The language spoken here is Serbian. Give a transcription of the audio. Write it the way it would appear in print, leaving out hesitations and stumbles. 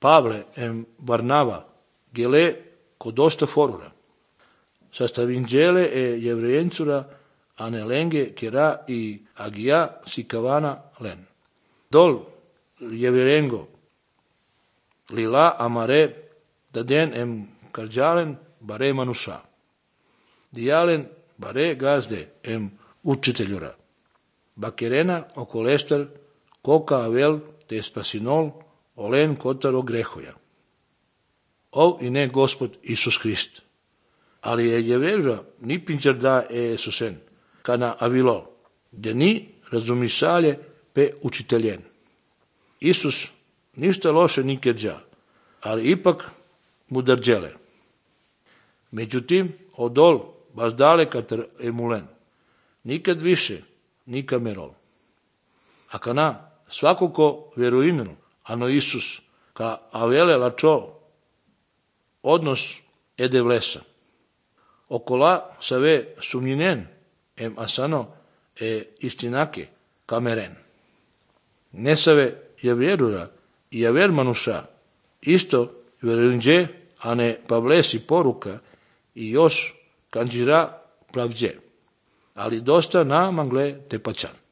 Pavle em Varnava, gele codosta forura. Sastavingele e jevrejensura anelenge kera i agia sikavana len. Dol jeverengo lila amare daden em karđalen bare manuša. Dijalen bare gazde em učiteljura. Bakerena okolestar koka avel te spasinol olen kotaro grehoja. Ov i ne Gospod Isus Hrist. Ali je jevreža ni pinčar da Jesusen, kana avilo, gdje ni razumisalje pe učiteljen. Isus ništa loše nikedža, ali ipak mudarđele. Međutim, odol baš dalekatar emulen. Nikad više, nika merol. A kana svako ko veruinel, ano Isus, ka avele lačo, odnos ede vlesa. Okola save sumninen, em asano e istinake kameren. Nesave javjerura i javer manuša, isto verunđe, a ne pavlesi poruka i još kanđira pravđe. Ali dosta na mangle te pačan.